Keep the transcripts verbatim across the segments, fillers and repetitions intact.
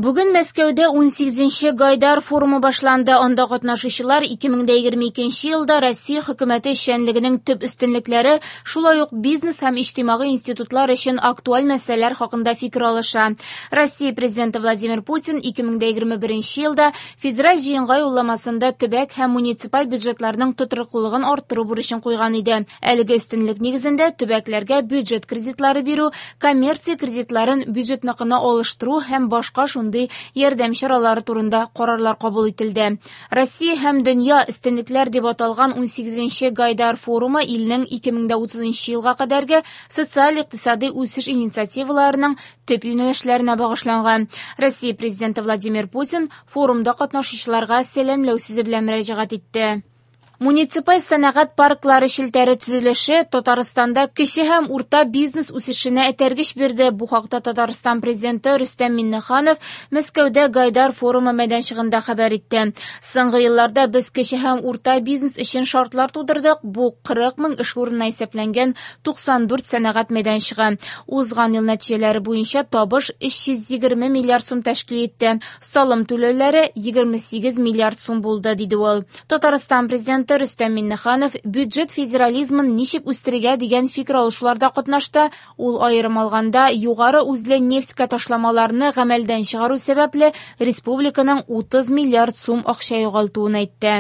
Бүген Мәскәүдә унсигезенче Гайдар форумы башланды. Анда катнашучылар ике мең дә егерме икенче елда Россия хөкүмәте эшчәнлегенең төп өстенлекләре, шулай ук бизнес һәм иҗтимагый институтлар өчен актуаль мәсьәләләр хакында фикер алыша. Россия президенты Владимир Путин ике мең дә егерме беренче елда федераль җыенга юлламасында төбәк һәм муниципаль бюджетларның тотрыклылыгын арттыру бурычын куйган иде. Әлеге өстенлек нигезендә төбәкләргә бюджет кредитлары бирү, коммерция кредитларын бюджетныкына алыштыру һәм башка шундый ярдәм чаралары турында карарлар кабул ителде. Россия һәм дөнья өстенлекләр дип аталган унсигезенче Гайдар форумы илнең ике мең дә утызынчы елга кадәрге социаль-икътисади үсеш инициативаларының төп юнәлешләренә багышланган. Россия президенты Владимир Путин форумда катнашучыларга сәламләү сүзе белән мөрәҗәгать итте. Муниципаль сәнәгать парклары челтәре төзелеше Татарстанда кече һәм урта бизнес үсешенә этәргеч бирде. Бу хакта Татарстан президенты Рөстәм Миңнеханов Мәскәүдә Гайдар форумы мәйданчыгында хәбәр итте. Соңгы елларда без кече һәм урта бизнес өчен шартлар тудырдык. Бу кырык мең эш урынына исәпләнгән туксан дүрт сәнәгать мәйданчыгы. Узган ел нәтиҗәләре буенча табыш өч йөз егерме миллиард сум тәшкил итте. Салым түләүләре егерме сигез миллиард сум булды, диде ул. Татарстан президенты Рөстәм Миңнеханов бюджет федерализмын ничек үстерергә дигән фикер алышуларда катнашты. Ул аерым алганда югары үзле нефтькә ташламаларны гамәлдән чыгару сәбәпле республиканың утыз миллиард сум акча югалтуын әйтте.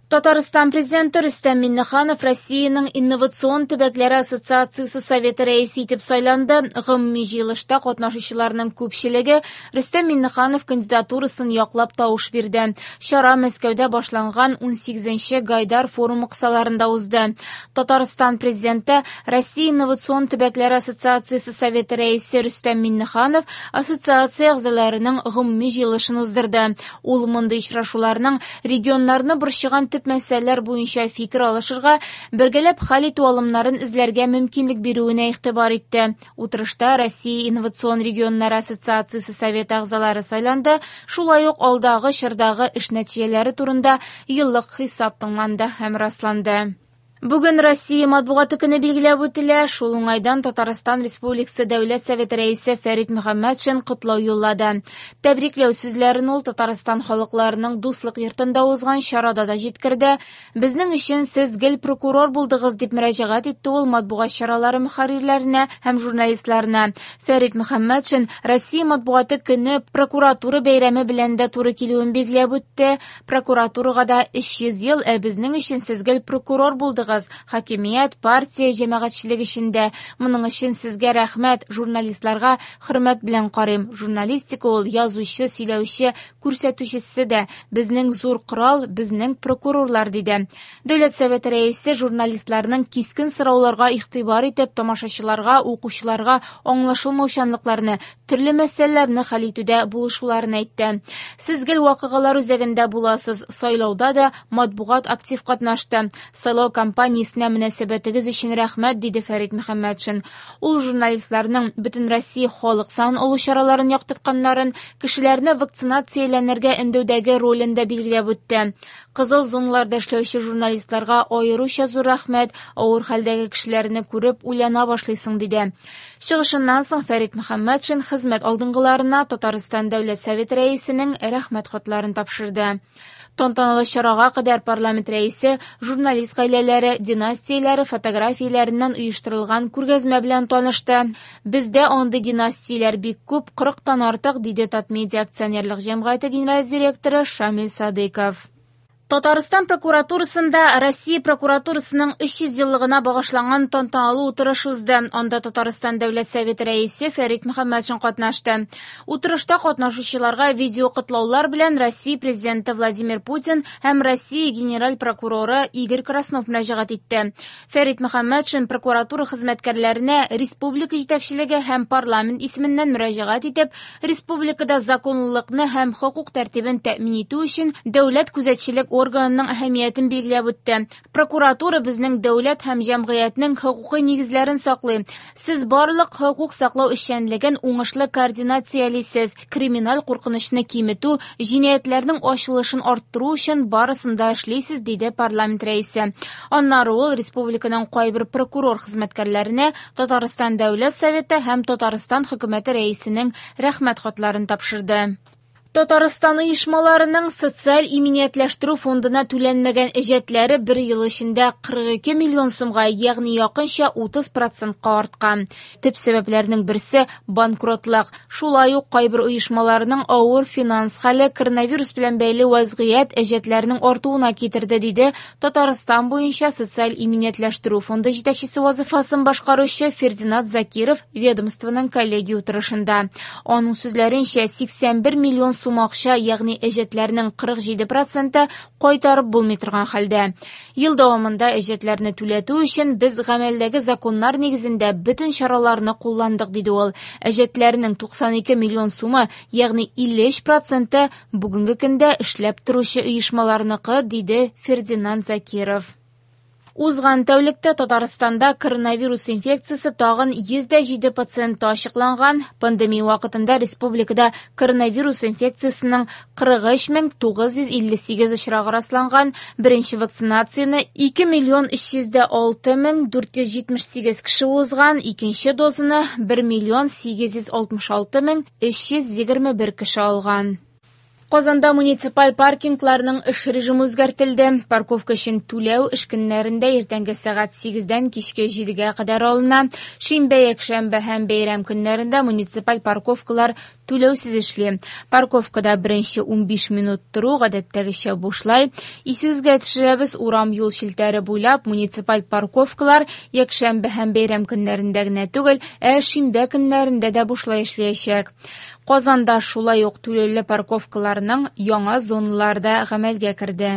Татарстан президенты Рөстәм Миңнеханов Россиянең инновацион төбәкләре ассоциациясе советы рәисе итеп сайланды. Гомуми җыелышта катнашучыларның күпчелеге Рөстәм Миңнеханов кандидатурасын яклап тавыш бирде. Чара Мәскәүдә башланган унсигезенче Гайдар форумы кысаларында узды. Татарстан президенты Россия инновацион төбәкләре ассоциациясе советы рәисе Рөстәм Миңнеханов ассоциация әгъзаларының гомуми җыелышын уздырды. Ул мондый очрашуларның регионнарны борчыган төп мәсьәләләр буенча фикер алышырга, бергәләп хәл итү алымнарын эзләргә мөмкинлек бирүенә игътибар итте. Утырышта Россия инновацион регионнары ассоциациясе советы әгъзалары сайланды, шулай ук алдагы чордагы эш нәтиҗәләре турында еллык хисап тыңланды һәм расланды. Бүген Россия матбугаты көне билгеләп үтелә. Шул уңайдан Татарстан Республикасы Дәүләт Советы рәисе Фәрит Мөхәммәтшин котлау юллады. Тәбрикләү сүзләрен ул Татарстан халыкларының дуслык йортында узган чарада да җиткерде. Безнең өчен сез гел прокурор булдыгыз, дип мөрәҗәгать итте ул матбугат чаралары мөхәррирләренә һәм журналистларына. Фәрит Мөхәммәтшин Россия матбугаты көне прокуратура бәйрәме белән дә туры килүен билгеләп үтте. Прокуратурага да өч йөз ел, ә безнең өчен сез гел прокурор булдыгыз. Хакимият, партия, җәмәгатьчелек эчендә. Моның өчен сезгә рәхмәт, журналистларга хөрмәт белән карыйм. Журналистика ул язучы, сөйләүче, күрсәтүчесе дә. Безнең зур корал, безнең прокурорлар, диде. Дәүләт Советы рәисе журналистларның кискен сорауларга игътибар итеп, тамашачыларга, укучыларга аңлашылмаучанлыкларны, төрле мәсьәләләрне хәл итүдә булышуларын әйтте. Сез гел вакыйгалар үзәгендә буласыз. Сайлауда да матбугат актив катнашты. Сайлау кампаниясенә мөнәсәбәтегез өчен рәхмәт, диде Фәрит Мөхәммәтшин. Ул журналистларның бөтен Россия халык санын алу чараларын яктыртканнарын, кешеләрне вакцинацияләнергә өндәүдәге ролен дә билгеләп үтте. Кызыл зоналарда эшләүче журналистларга аеруча зур рәхмәт, авыр хәлдәге кешеләрне күреп уйлана башлыйсың, диде. Чыгышыннан соң Фәрит Мөхәммәтшин хезмәт алдынгыларына Татарстан Дәүләт Советы рәисенең рәхмәт хатларын тапшырды. Тантаналы чарага кадәр парламент рәисе журналист гаиләләре, династияләре фотографияләреннән оештырылган күргәзмә белән танышты. Бездә андый династияләр бик күп, кырыктан артык, диде Татмедиа акционерлык җәмгыяте генераль директоры Шамил Садыйков. Татарстан прокуратурасында Россия прокуратурасының өч йөз еллыгына багышланган тантаналы утырыш узды. Анда Татарстан Дәүләт Советы рәисе Фәрит Мөхәммәтшин катнашты. Утырышта катнашучыларга видео котлаулар белән Россия президенты Владимир Путин һәм Россия генераль прокуроры Игорь Краснов мөрәҗәгать итте. Фәрит Мөхәммәтшин прокуратура хезмәткәрләренә республика җитәкчелеге һәм парламент исеменнән мөрәҗәгать итеп, республикада законлылыкны һәм хокук тәртибен тәэмин итү өчен дәүләт күзәтчелек органының әһәмиятен билгеләп үтте. Прокуратура безнең дәүләт һәм җәмгыятьнең хокукый нигезләрен саклый. Сез барлык хокук саклау эшчәнлеген уңышлы координациялисез. Криминаль куркынычны киметү, җинаятьләрнең ачылышын арттыру өчен барысын да эшлисез, диде парламент рәисе. Аннары ул республиканың кайбер прокурор хезмәткәрләренә Татарстан Дәүләт Советы һәм Татарстан хөкүмәте рәисенең рәхмәт хатларын тапшырды. Татарстан оешмаларының социаль иминиятләштерү фондына түләнмәгән әҗәтләре бер ел эчендә кырык ике миллион сумга, ягъни якынча утыз процентка арткан. Төп сәбәпләрнең берсе банкротлык. Шулай ук кайбер оешмаларның авыр финанс хәле коронавирус белән бәйле вазгыять әҗәтләрнең артуына китерде, диде Татарстан буенча социаль иминиятләштерү фонды җитәкчесе вазифасын башкаручы Фердинат Закиров ведомствоның коллегия утырышында. Аның сүзләренчә, сиксән бер миллион сум акча, ягъни әҗәтләрнең кырык җиде проценты кайтарып булмый торган хәлдә. Ел дәвамында әҗәтләрне түләтү өчен без гамәлдәге законнар нигезендә бөтен чараларны кулландык, диде ул. Әҗәтләрнең туксан ике миллион сумы, ягъни илле өч проценты бүгенге көндә эшләп торучы оешмаларныкы, диде Фердинат Закиров. Узган тәүлектә Татарстанда коронавирус инфекциясе тагын йөз дә җиде пациенты ачыкланган. Пандемия вакытында республикада коронавирус инфекциясенең кырык өч мең тугыз йөз илле сигез очрагы расланган. Беренче вакцинацияне ике миллион өч йөз дә алты мең дүрт йөз җитмеш сигез кеше узган, икенче дозаны бер миллион сигез йөз алтмыш алты мең өч йөз егерме бер кеше алган. Казанда муниципаль паркингларның эш режимы үзгәртелде. Парковка өчен түләү эш көннәрендә иртәнге сәгать сигездән кичке җидегә кадәр алына. Шимбә, якшәмбе һәм бәйрәм көннәрендә муниципаль парковкалар түләүсез эшли. Парковкада беренче унбиш минут тору гадәттәгечә бушлай. Исегезгә төшерәбез, урам юл челтәре буйлап муниципаль парковкалар якшәмбе һәм бәйрәм көннәрендә генә түгел, ә шимбә көннәрендә дә бушлай эшләячәк. Казанда шулай ук түләүле парковкаларның яңа зоналарда гамәлгә керде.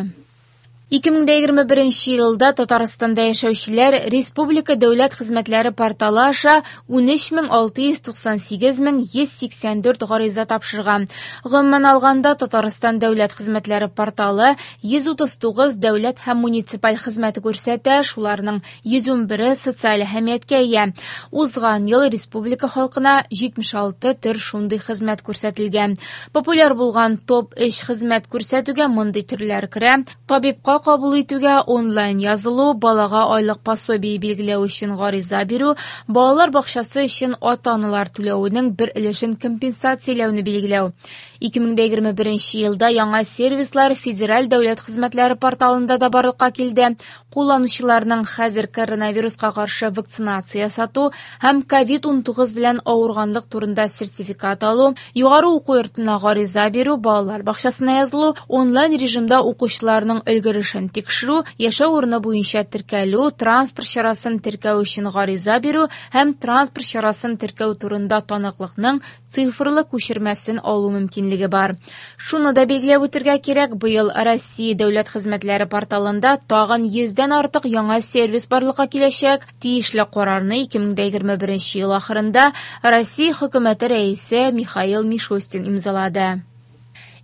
Ике мең дә егерме беренче елда Татарстанда яшәүчеләр Республика дәүләт хезмәтләре порталы аша унөч мең алты йөз туксан сигез мең йөз сиксән дүрт гариза тапшырган. Гомумән алганда, Татарстан дәүләт хезмәтләре порталы йөз утыз тугыз дәүләт һәм муниципаль хезмәте күрсәтә, шуларның йөз унбере социаль әһәмияткә ия. Узган ел республика халкына җитмеш алты төр шундый хезмәт күрсәтелгән. Популяр булган топ өч хезмәт күрсәтүгә мондый төрләр керә: табибка кабул итүгә онлайн язылу, балага айлык пособие билгеләү өчен гариза бирү, балалар бакчасы өчен ата-аналар түләүенең бер өлешен компенсацияләүне билгеләү. Ике мең дә егерме беренче елда яңа сервислар Федераль дәүләт хезмәтләре порталында да барлыкка килде. Кулланучыларның хәзер коронавируска каршы вакцинация ясату һәм ковид унтугыз белән авырганлык турында сертификат алу, югары уку йортына гариза бирү, балалар бакчасына язылу, онлайн режимда укучыларның өлгерешен тикшерү, яшәү урыны буенча теркәлү, транспорт чарасын теркәү өчен гариза бирү һәм транспорт чарасын теркәү турында таныклыкның цифрлы күчермәсен алу мөмкинлеге бар. Шуны да билгеләп үтергә кирәк, быел Россия дәүләт хезмәтләре порталында тагын йөздән артык яңа сервис барлыкка киләчәк. Тиешле карарны ике мең дә егерме беренче ел ахырында Россия хөкүмәте рәисе Михаил Мишустин имзалады.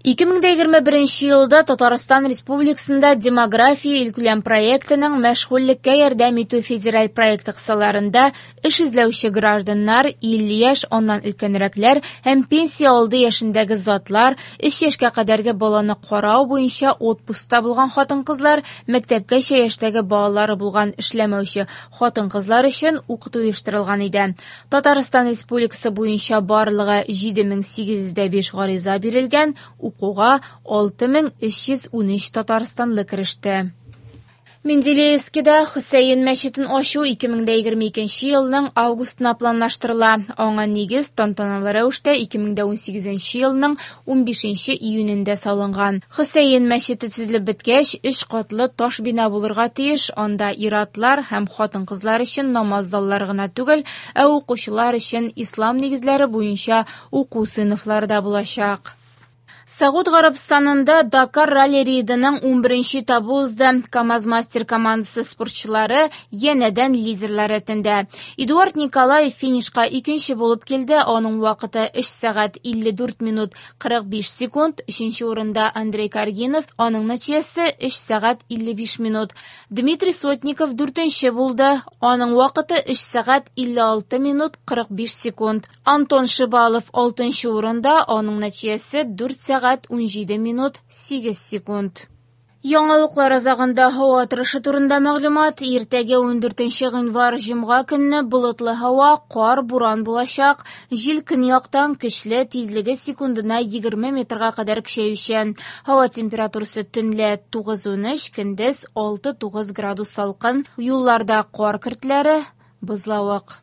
Ике мең дә егерме беренче елда Татарстан Республикасында демография илкүләм проектының мәшгульлеккә ярдәм итү федераль проекты кысаларында эш эзләүче гражданнар, илле яшь, аннан өлкәнрәкләр һәм пенсия алды яшендәге затлар, өч яшькә кадәрге баланы карау буенча отпускта булган хатын-кызлар, мәктәпкәчә яшьтәге балалары булган эшләмәүче хатын-кызлар өчен укыту оештырылган иде. Татарстан Республикасы буенча барлыгы җиде мең сигез йөз дә биш гариза бирелгән, укуга алты мең өч йөз унөч татарстанлы кереште. Менделеевскида Хөсәен мәчетен ачу ике мең дә егерме икенче елның августына планлаштырыла. Аңа нигез тантаналы рәвештә ике мең дә унсигезенче елның унбишенче июнендә салынган. Хөсәен мәчете төзелеп беткәч, өч катлы таш бина булырга тиеш. Анда ир-атлар һәм хатын-кызлар өчен намаз заллары гына түгел, ә укучылар өчен ислам нигезләре буенча уку сыйныфлары да булачак. Сауд Гарәбстанында Дакар ралли-рейдының унберенче этабы узды. КАМАЗ-мастер командасы спортчылары янәдән лидерлар рәтендә. Эдуард Николаев финишка икенче булып килде. Аның вакыты өч сәгать илле дүрт минут кырык биш секунд. Өченче урында Андрей Каргинов, аның нәтиҗәсе өч сәгать илле биш минут. Дмитрий Сотников дүртенче булды. Аның вакыты өч сәгать илле алты минут кырык биш секунд. Антон Шибалов алтынчы урында, аның нәтиҗәсе дүрт сәгать унҗиде минут сигез секунд. Яңалыклар азагында һава торышы турында мәгълүмат. Иртәгә ундүртенче гыйнвар җомга көнне болытлы һава, кар, буран булачак. Җил көньяктан көчле, тизлеге секундына егерме метрга кадәр көчәючән. Һава температурасы төнлә тугыз-унөч, көндез алты-тугыз градус салкын. Юлларда кар көртләре, бозлавык.